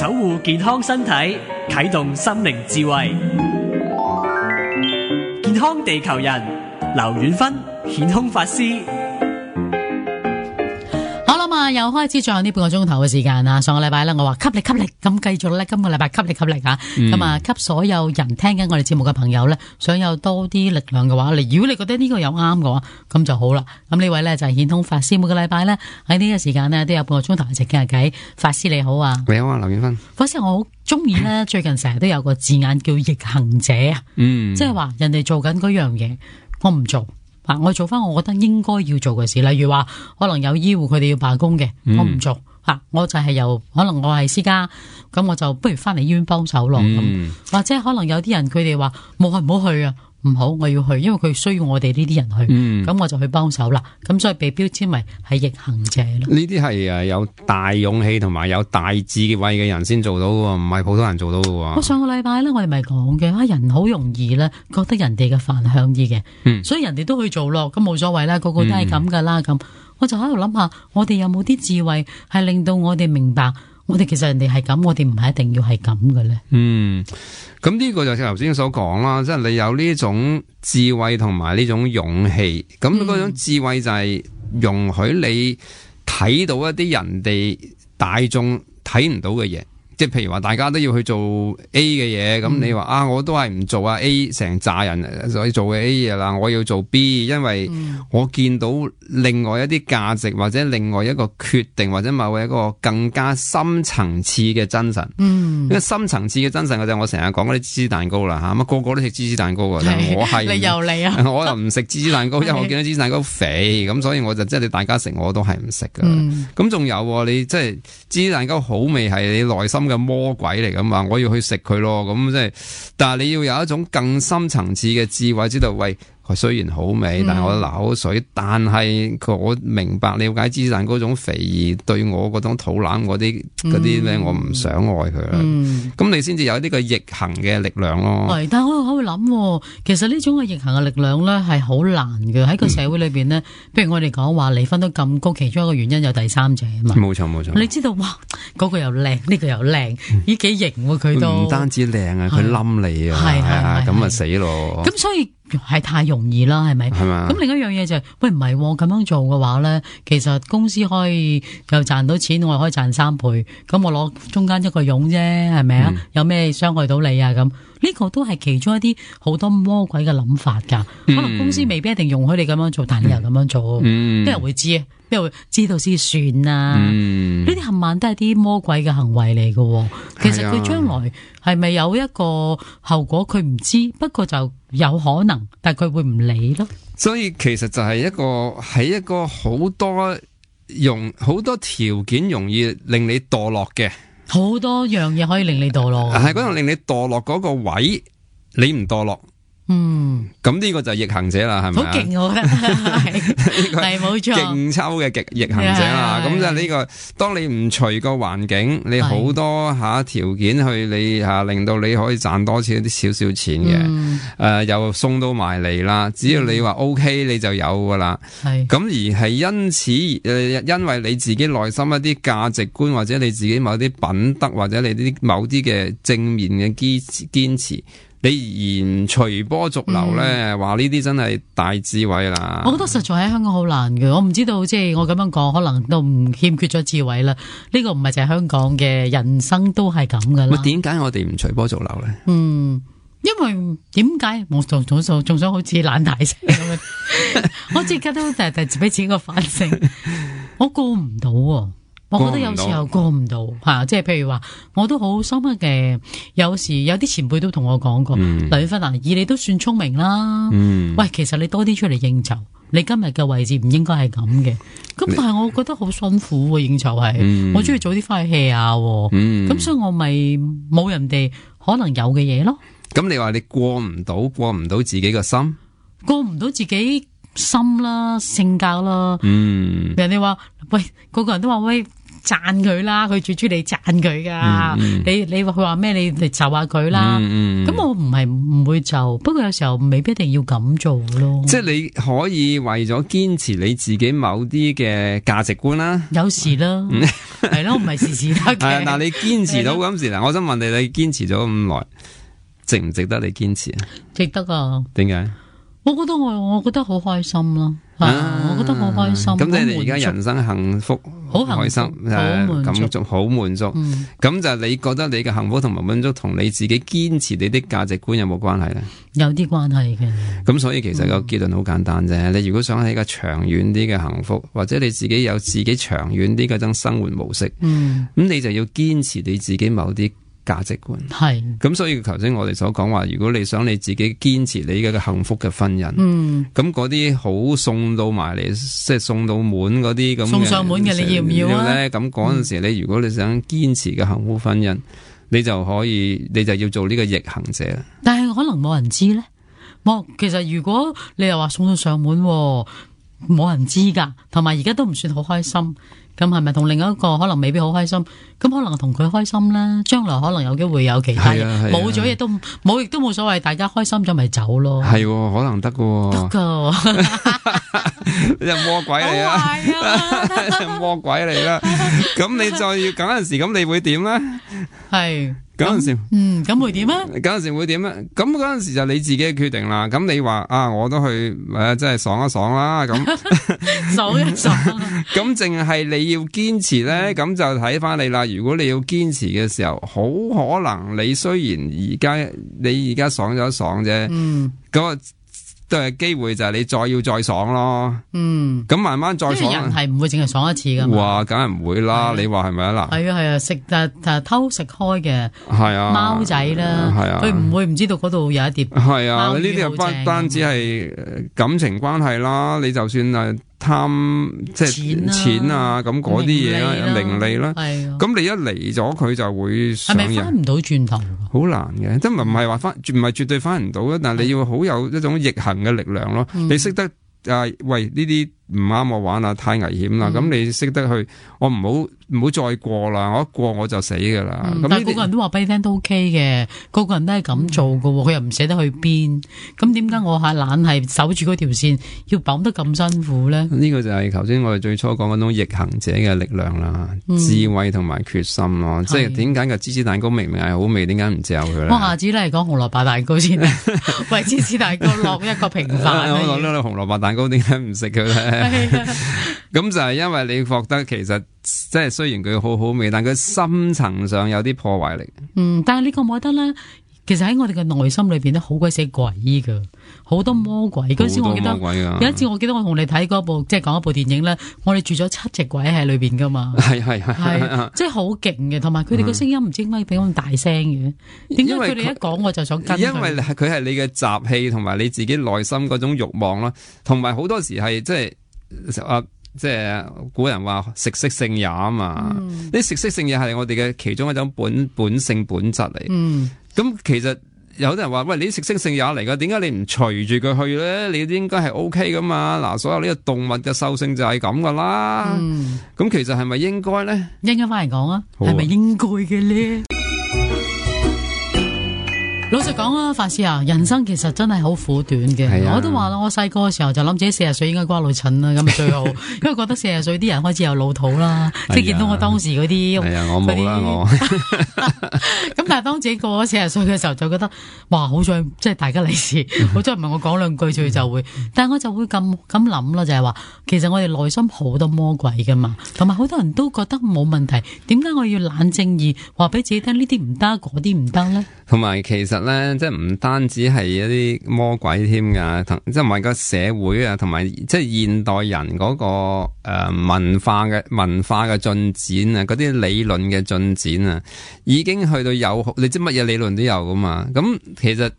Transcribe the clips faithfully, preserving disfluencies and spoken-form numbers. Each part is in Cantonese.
守護健康身體，啟動心靈智慧。健康地球人，劉遠芬顯空法師。又開始最後呢半個鐘頭嘅時間啦。上個禮拜咧，我話吸力吸力，咁繼續咧，今個禮拜吸力吸力啊！咁啊、嗯，給所有人聽緊我哋節目嘅朋友咧，想有多啲力量嘅話，你如果你覺得呢個有啱嘅話，咁就好啦。咁呢位咧就係顯通法師，每個禮拜咧喺呢個時間呢，都有半個鐘頭一齊傾下偈。法師你好啊，你好啊，劉遠芬。法師我好中意咧，最近成日都有個字眼叫逆行者啊，嗯，即係話人哋做緊嗰樣嘢，我唔做。啊！我做翻我覺得應該要做嘅事，例如話可能有醫護佢哋要罷工嘅，嗯、我唔做吓、啊，我就係由可能我係私家，咁我就不如翻嚟醫院幫手咯。咁、嗯、或者可能有啲人佢哋話冇去唔好去啊，唔好我要去，因為佢需要我哋呢啲人去，咁、嗯、我就去幫手啦。咁所以被標籤為係逆行者咯。呢啲係誒有大勇氣同埋有大智慧嘅人先做到嘅，唔係普通人做到嘅。我上個禮拜咧，我哋咪講嘅，啊人好容易咧覺得人哋嘅飯香啲嘅，嗯、所以人哋都去做咯，咁冇所謂啦，個個都係咁噶啦。咁、嗯、我就喺度諗下，我哋有冇啲智慧係令到我哋明白，我哋其實人哋係咁，我哋唔係一定要係咁嘅咧。嗯。咁呢個就係頭先所講啦，即係你有呢種智慧同埋呢種勇氣，咁嗰種智慧就係容許你睇到一啲人哋大眾睇唔到嘅嘢。即係譬如話大家都要去做 A 嘅嘢，咁、嗯、你話啊，我都係唔做啊 A 成扎人所以做嘅 A 嘢啦，我要做 B， 因為我見到另外一啲價值或者另外一個決定或者某一個更加深層次嘅真神。嗯，因為深層次嘅真神嘅就係我成日講嗰啲芝士蛋糕啦吓，咁個個都食芝士蛋糕噶，但係我係你又嚟啊，我又唔食芝士蛋糕，因為我見到芝士蛋糕肥，咁所以我就即係你大家食我都係唔食噶。咁仲、嗯、有你即係芝士蛋糕好味係你內心嘅魔鬼嚟噶嘛，我要去食佢咯，咁即係，但係你要有一種更深層次嘅智慧，知道喂，佢雖然好味，但係我流口水，但係我明白了解芝士蛋糕嗰種肥而對我嗰種肚腩嗰啲嗰啲咧，我唔想愛佢啦。咁、嗯、你先至有呢個逆行嘅力量咯。係，但係我我會諗，其實呢種嘅逆行嘅力量咧係好難嘅，喺個社會裏邊呢，譬、嗯、如我哋講話離婚都咁高，其中一個原因有第三者啊嘛。冇錯冇錯，你知道哇，嗰、嗰個又靚，呢、呢個又靚，咦幾型喎佢都。唔單止靚啊，佢冧你啊，係啊，咁啊死咯。咁所以。係太容易啦，係咪？係嘛？咁另一樣嘢就係、是，喂唔係咁樣做嘅話咧，其實公司可以又賺到錢，我可以賺三倍，咁我攞中間一個傭啫，係咪啊？嗯、有咩傷害到你啊？咁呢、這個都係其中一啲好多魔鬼嘅諗法噶。嗯、可能公司未必一定容許你咁樣做，但係你又咁樣做，邊、嗯、人會知啊？邊人會知道先算啊？呢啲冚唪唥都係啲魔鬼嘅行為嚟嘅。其實佢將來係咪有一個後果，佢唔知，不過就有可能，但係佢會唔理咯。所以其實就係一個喺一個好多容好多條件容易令你墮落嘅，好多樣嘢可以令你墮落，係嗰度令你墮落嗰個位，你唔墮落。嗯，咁呢個就係逆行者啦，係咪？好勁，我覺得係冇錯，勁抽嘅極逆行者啦。咁就呢個，當你唔隨個環境，你好多下條件去你吓、啊，令到你可以賺多錢啲少少錢嘅，誒、嗯呃，又送到埋嚟啦。只要你話 OK，你就有噶啦。係咁、嗯、而係因此誒、呃，因為你自己內心一啲價值觀，或者你自己某啲品德，或者你啲某啲嘅正面嘅堅堅持。你而唔隨波逐流咧，話呢啲真係大智慧啦。我覺得實在喺香港好難嘅，我唔知道即係我咁樣講，可能都唔欠缺咗智慧啦。呢個唔係就係香港嘅人生都係咁噶啦。點解我哋唔隨波逐流咧？嗯，因為點解我仲仲仲仲想好似懶大聲咁樣？我即刻都就係就俾自己個反省，我過唔到啊。我覺得有時候過唔到吓，即係譬如話，我都好深刻嘅。有時有啲前輩都同我講過，劉遠芬啊，以你都算聰明啦。嗯、喂，其實你多啲出嚟應酬，你今日嘅位置唔應該係咁嘅。咁但係我覺得好辛苦喎，應酬係，嗯、我中意早啲翻去 hea 下。咁、嗯、所以我咪冇人哋可能有嘅嘢咯。咁你話你過唔到，過唔到自己個心，過唔到自己心啦，性格啦。嗯，人哋話喂，個個人都話喂。讚佢啦，佢最中意你讚佢噶。嗯嗯、你你話佢話咩，你嚟就下佢啦。咁、嗯嗯、我唔係唔會就，不過有時候未必一定要咁做咯。即係你可以為咗堅持你自己某啲嘅價值觀啦。有時啦，係咯，唔係時時得嘅。係，但係你堅持到咁時嗱，我想問你，你堅持咗咁耐，值唔值得你堅持啊？值得啊。點解？我覺得我我覺得好開心咯，啊，我覺得好開心。咁即係你而家人生幸福，好開心，好滿足，好滿足。咁就你覺得你嘅幸福同埋滿足同你自己堅持你的價值觀有冇關係咧？有啲關係嘅。咁所以其實個結論好簡單啫。嗯、你如果想喺一個長遠啲嘅幸福，或者你自己有自己長遠啲嗰種生活模式，咁、嗯、你就要堅持你自己某啲價值觀。係咁，所以頭先我哋所講話，如果你想你自己堅持你嘅幸福嘅婚姻，咁嗰啲好送到埋嚟，即係送到滿嗰啲咁送上門嘅，你要唔要啊？咁嗰陣時，你如果你想堅持嘅幸福婚姻，你就可以，你就要做呢個逆行者。但係可能冇人知咧。冇，其實如果你又話送到上門，冇人知噶，同埋而家都唔算好開心。咁係咪同另一個可能未必好開心？咁可能同佢開心啦，將來可能有機會有其他嘢，冇咗亦都冇，亦都冇所謂，大家開心咗咪走咯。係，可能得噶，得噶，你係魔鬼嚟啊！魔鬼嚟啦！咁你再要嗰陣時，咁你會點咧？係。嗰陣時，嗯，咁會點啊？嗰陣時會點啊？咁嗰陣時就你自己嘅決定啦。咁你話啊，我都去誒，即係爽一爽啦。咁爽一爽。咁淨係你要堅持咧，咁就睇翻你啦。如果你要堅持嘅時候，好可能你雖然而家你而家爽咗爽啫，嗯，咁都係機會就係你再要再爽咯。嗯，咁慢慢再爽。人係唔會淨係爽一次噶嘛。哇，梗係唔會啦。你話係咪啊？嗱，係啊係啊，食誒誒偷食開嘅係啊貓仔啦，係啊，佢唔會唔知道嗰度有一碟。係啊，呢啲又不單止係感情關係啦，你就算係貪即係錢啊，咁嗰啲嘢啦，名利啦，咁你一嚟咗佢就會上癮。係咪翻唔到轉頭？好難嘅，即係唔係話翻，唔係絕對翻唔到啊！但係你要好有一種逆行嘅力量咯，你識得。啊！喂，呢啲唔啱我玩啦，太危險啦！咁、嗯、你識得去，我唔好唔好再過啦，我一過我就死噶啦。咁、嗯、但係個個人都話俾你聽都 OK 嘅，個個人都係咁做噶，佢、嗯、又唔捨得去邊。咁點解我係懶係守住嗰條線，要綁得咁辛苦咧？呢個就係頭先我哋最初講嗰種逆行者嘅力量啦，嗯、智慧同埋決心咯。即係點解個芝士蛋糕明明係好味，點解唔嚼佢咧？我下次咧講紅蘿蔔蛋糕先，為芝士蛋糕落一個平凡。我講呢個紅蘿蔔蛋糕點解唔食佢咧？咁就係因為你覺得其實即係雖然佢好好味，但佢深層上有啲破壞力。嗯，但係你覺唔覺得咧？其實喺我哋嘅內心裏邊咧，好鬼死鬼噶，好多魔鬼。嗰、嗯、時我記得有一次，我記得我同你睇嗰部即係講一部電影咧，我哋住咗七隻鬼喺裏邊噶嘛。係係係，即係好勁嘅，同埋佢哋個聲音唔知點解比咁大聲嘅。點解佢哋一講我就想跟佢？因為佢係你嘅習氣同埋你自己內心嗰種慾望咯，同埋好多時係即係啊。即係古人話食色性也啊嘛，呢、嗯、食色性也係我哋嘅其中一種本本性本質嚟。咁、嗯、其實有啲人話喂，你食色性也嚟噶，點解你唔隨住佢去咧？你應該係 O K 噶嘛。嗱，所有呢個動物嘅獸性就係咁噶啦。咁、嗯、其實係咪應該咧？一陣間翻嚟講啊，係咪應該嘅咧？老實講啊，法師啊，人生其實真係好苦短嘅。啊、我都話啦，我細個嘅時候就諗自己四十歲應該瓜老襯啦，咁最好，因為覺得四十歲啲人開始有老土啦，即係見到我當時嗰啲，係啊，我冇啦我。咁但係當自己過咗四十歲嘅時候，就覺得哇，好在即係大家利是，好在唔係我講兩句佢就會，但係我就會咁咁諗啦，就係、是、話其實我哋內心好多魔鬼噶嘛，同埋好多人都覺得冇問題，點解我要冷靜而話俾自己聽呢啲唔得，嗰啲唔得咧？同埋其實咧，即係唔單止係一啲魔鬼添噶，即係唔係個社會啊，同埋即係現代人嗰、那個誒、呃、文化嘅文化嘅進展啊，嗰啲理論嘅進展啊，已經去到有你知乜嘢理論都有噶嘛。咁其實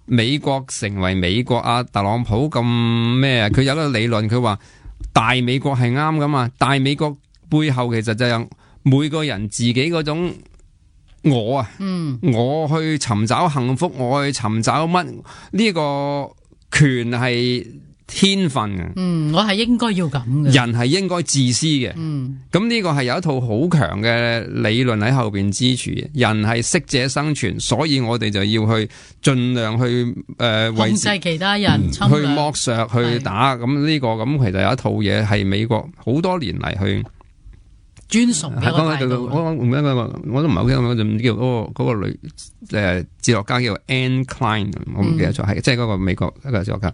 美國成為美國啊，特朗普咁咩啊？佢有一個理論，佢話大美國係啱噶嘛，大美國背後其實就有每個人自己嗰種。我啊，嗯，我去尋找幸福，我去尋找乜呢個權係天分嘅。嗯，我係應該要咁嘅。人係應該自私嘅。嗯，咁呢個係有一套好強嘅理論喺後邊支持嘅。人係適者生存，所以我哋就要去盡量去誒、呃、控制其他人，嗯、去剝削去打。咁呢、這個咁其實有一套嘢係美國好多年嚟去。尊崇嘅態度，我我唔記得個，我都唔係好記得個，就叫嗰個嗰個女誒哲學家叫 Anne Klein，我唔記得咗，係即係嗰個美國一個哲學家。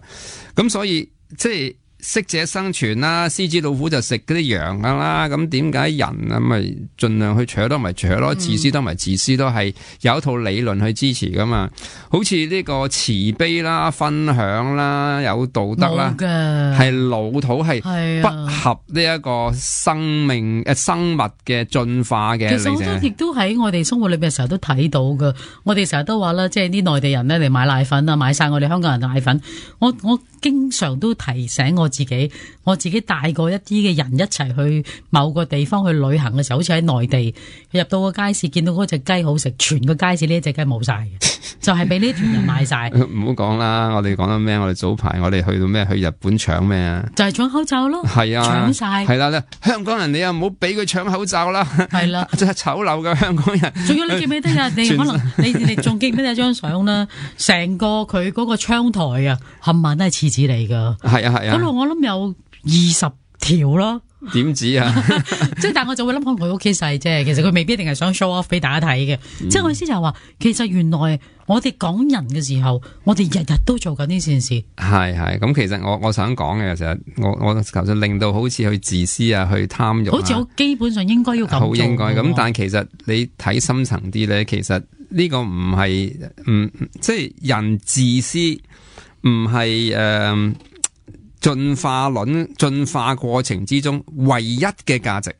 咁所以即係適者生存啦，獅子老虎就食嗰啲羊噶啦。咁點解人啊咪盡量去搶都咪搶咯，自私都咪自私，都係有一套理論去支持噶嘛。好似呢個慈悲啦、分享啦、有道德啦，係老土，係不合呢一個生命誒、啊、生物嘅進化嘅。其實好多亦都喺我哋生活裏邊成日都睇到噶。我哋成日都話啦，即係啲內地人咧嚟買奶粉啊，買晒我哋香港人奶粉。我我經常都提醒我自己，我自己帶過一啲嘅人一齊去某個地方去旅行嘅時候，好似喺內地入到個街市，見到嗰隻雞好食，全個街市呢一隻雞冇晒嘅，就係俾呢團人買晒。唔好講啦，我哋講到咩？我哋早排我哋去到咩？去日本搶咩啊？就係搶口罩咯。係啊，搶晒。係啦咧，香港人你又唔好俾佢搶口罩啦。係啦，真係醜陋嘅香港人。仲有你記唔記得啊？你可能你你仲記唔記得有張相啦？成個佢嗰個窗台啊，冚唪唥都係廁紙嚟噶。係啊係啊。嗰度我諗有二十條咯。點止啊？即係但係我就會諗，可能佢屋企細啫。其實佢未必一定係想 show off 俾大家睇嘅。嗯、即係我意思就係話，其實原來我哋講人嘅時候，我哋日日都做緊呢件事。係係咁，其實我我想講嘅，其實我我求就令到好似去自私啊，去貪欲、啊，好似我基本上應該要咁做。好應該咁，但係其實你睇深層啲咧，其實呢個唔係唔即係人自私，唔係誒。呃進化論進化過程之中唯一嘅價值，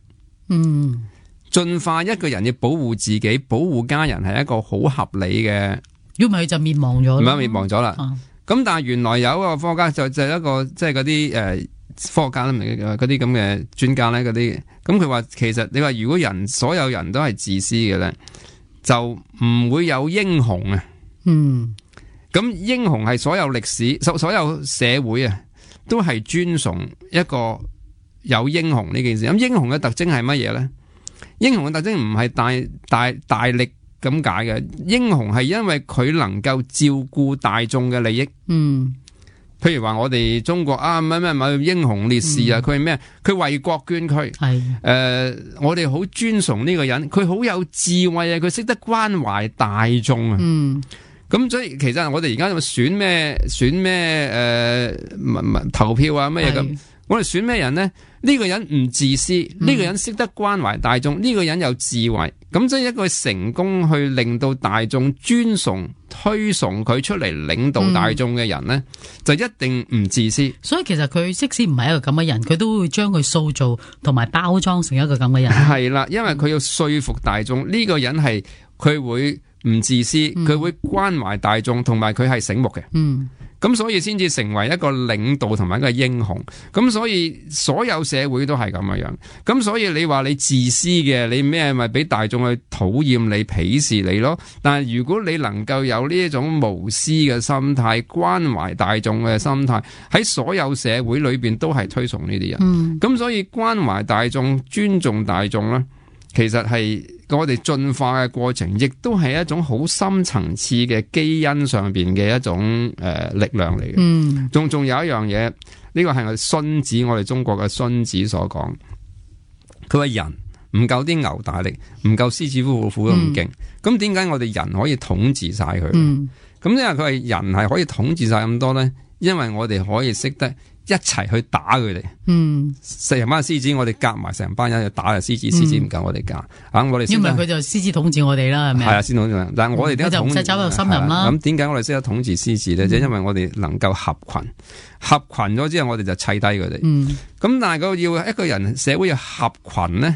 嗯，進化一個人要保護自己、保護家人係一個好合理嘅，如果唔係就滅亡咗，唔係滅亡咗啦。咁、啊、但係原來有一個科學家就就是、一個即係嗰啲誒科學家啦，嗰啲咁嘅專家咧，嗰啲咁佢話其實你話如果人所有人都係自私嘅咧，就唔會有英雄啊。嗯，咁英雄係所有歷史所所有社會啊。都係尊崇一個有英雄呢件事。咁英雄嘅特徵係乜嘢咧？英雄嘅特徵唔係大大大力咁解嘅，英雄係因為佢能夠照顧大眾嘅利益。嗯，譬如話我哋中國啊，乜乜乜英雄烈士啊，佢係咩？佢為國捐軀。係誒、呃，我哋好尊崇呢個人，佢好有智慧啊，佢識得關懷大眾啊。嗯。咁所以其實我哋而家選咩選咩誒投票啊乜嘢咁，我哋選咩人呢？呢、呢個人唔自私，呢、嗯、個人識得關懷大眾，呢、呢個人有智慧，咁即係一個成功去令到大眾尊崇推崇佢出嚟領導大眾嘅人呢，嗯、就一定唔自私。所以其實佢即使唔係一個咁嘅人，佢都會將佢塑造同埋包裝成一個咁嘅人。係啦，因為佢要說服大眾，呢、呢個人係佢會。唔自私，佢會關懷大眾，同埋佢係醒目嘅。嗯，咁所以先至成為一個領導同埋一個英雄。咁所以所有社會都係咁嘅樣。咁所以你話你自私嘅，你咩咪俾大眾去討厭你、鄙視你咯？但係如果你能夠有呢一種無私嘅心態、關懷大眾嘅心態，喺所有社會裏邊都係推崇呢啲人。嗯，咁所以關懷大眾、尊重大眾咧，其實係。我哋進化嘅過程，亦都係一種好深層次嘅基因上邊嘅一種誒、呃、力量嚟嘅。嗯，仲仲有一樣嘢，呢、這個係我哋孫子，我哋中國嘅孫子所講。佢話人唔夠啲牛大力，唔夠獅子虎虎咁勁。咁點解我哋人可以統治晒佢？嗯，咁因為佢係人係可以統治晒咁多咧，因為我哋可以識得。一齊去打佢哋，嗯，成班獅子，我哋夾埋成班人去打嘅獅子，獅子唔夠我哋夾，啊，我哋因為佢就獅子統治我哋啦，係咪？係啊，先統治，但係我哋點解統治？就唔使走入森林啦。咁點解我哋識得統治獅子咧？即係、嗯、因為我哋能夠合群，合群咗之後，我哋就砌低佢哋。嗯，咁但係個要一個人社會要合群咧，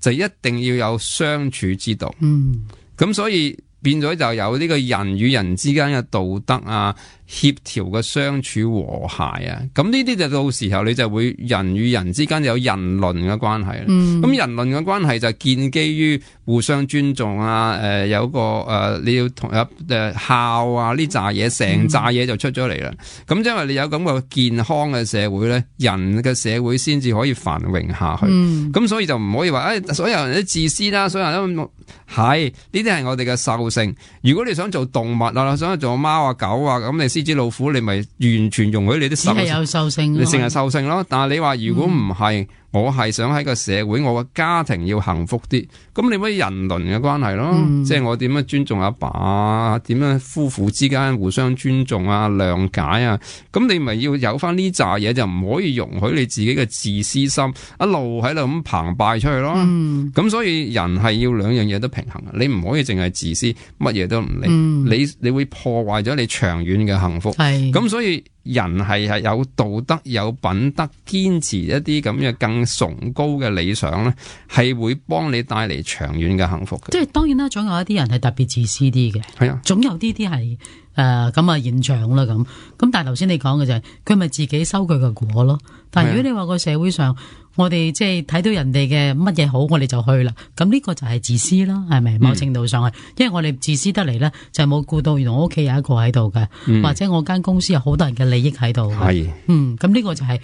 就一定要有相處之道。嗯，咁所以變咗就有呢個人與人之間嘅道德啊、協調嘅相處和諧啊，咁呢啲就到時候你就會人與人之間有人倫嘅關係啦。咁、嗯、人倫嘅關係就建基於互相尊重啊，誒、呃、有個誒、呃、你要同有誒孝啊呢扎嘢，成扎嘢就出咗嚟啦。咁、嗯、因為你有咁個健康嘅社會咧，人嘅社會先至可以繁榮下去。咁、嗯、所以就唔可以話誒、哎、所有人都自私啦，所有人都係呢啲係我哋嘅獸性。如果你想做動物啊，想做貓啊、狗啊，咁你獅子老虎，你咪完全容許你啲獸性，係有獸性，你成日獸性咯。但係你話如果唔係，嗯、我係想喺個社會，我個家庭要幸福啲，咁你咪人倫嘅關係咯。嗯、即係我點樣尊重阿爸啊，點樣夫婦之間互相尊重啊、諒解啊，咁你咪要有翻呢扎嘢，就唔可以容許你自己嘅自私心一路喺度咁澎湃出去咯。咁、嗯、所以人係要兩樣嘢都平衡，你唔可以淨係自私，乜嘢都唔理，嗯、你你會破壞咗你長遠嘅幸福。咁是所以人係係有道德、有品德，堅持一啲咁嘅更崇高嘅理想咧，係會幫你帶嚟長遠嘅幸福嘅。即係當然啦，總有一啲人係特別自私啲嘅，係啊，總有啲啲係誒咁啊現象啦咁。咁但係頭先你講嘅就係佢咪自己收佢嘅果咯。但係如果你話個社會上，我哋即係睇到人哋嘅乜嘢好，我哋就去啦。咁呢個就係自私啦，係咪？某程度上係，因為我哋自私得嚟咧，就係冇顧到原來我屋企有一個喺度嘅，嗯、或者我間公司有好多人嘅利益喺度。係是，嗯，咁呢個就係、是、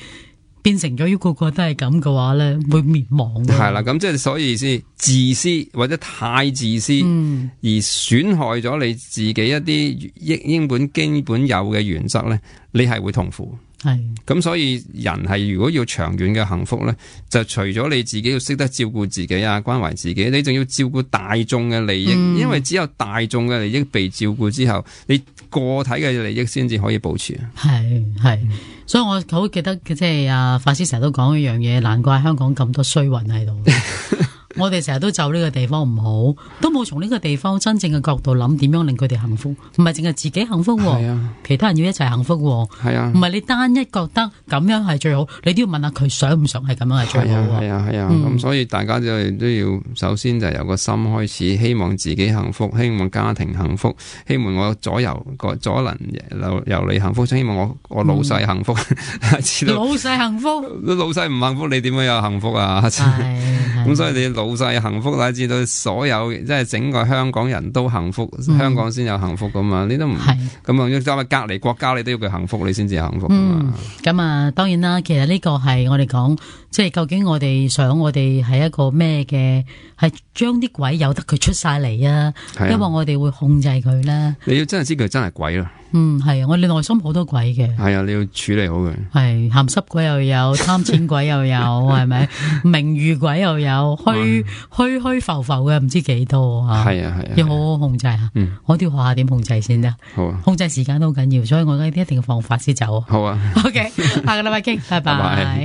變成咗，如果個個都係咁嘅話咧，會滅亡。係啦，咁即係所以意思，自私或者太自私，嗯、而損害咗你自己一啲應應本基本有嘅原則咧，你係會痛苦。係，咁所以人係如果要長遠嘅幸福咧，就除咗你自己要識得照顧自己啊，關懷自己，你仲要照顧大眾嘅利益，嗯、因為只有大眾嘅利益被照顧之後，你個體嘅利益先至可以保持。係係，所以我好記得即係阿法師成日都講一樣嘢，難怪香港咁多衰運喺度。我哋成日都就呢個地方唔好，都冇從呢個地方真正嘅角度諗點樣令佢哋幸福，唔係淨係自己幸福，啊、其他人要一齊幸福，係啊，唔係你單一覺得咁樣係最好，你都要問下佢想唔想係咁樣係最好。係啊係啊，咁、嗯、所以大家就都要首先就由個心開始，希望自己幸福，希望家庭幸福，希望我左右個左鄰右里幸福，希望我我老細幸福。嗯、老細幸福，老細唔幸福，你點樣有幸福啊？咁所以你老細幸福啦，知道所有即係整個香港人都幸福，嗯、香港先有幸福噶嘛？你都唔咁啊？要走去隔離國家，你都要佢幸福，你先至幸福噶嘛？咁、嗯、啊，當然啦，其實呢個係我哋講，即係究竟我哋想我哋係一個咩嘅？係將啲鬼由得佢出晒嚟啊！因為我哋會控制佢啦。你要真係知佢真係鬼啦。嗯，係啊，我哋內心好多鬼嘅。係啊，你要處理好佢。係鹹濕鬼又有，貪錢鬼又有，係咪？名譽鬼又有，虛虛虛浮浮嘅唔知幾多啊！係啊係啊，要好好控制啊！嗯，我都要學下點控制先得。好啊，控制時間都好緊要，所以我而家一定要放法先走。好啊。OK，下個禮拜傾，拜拜。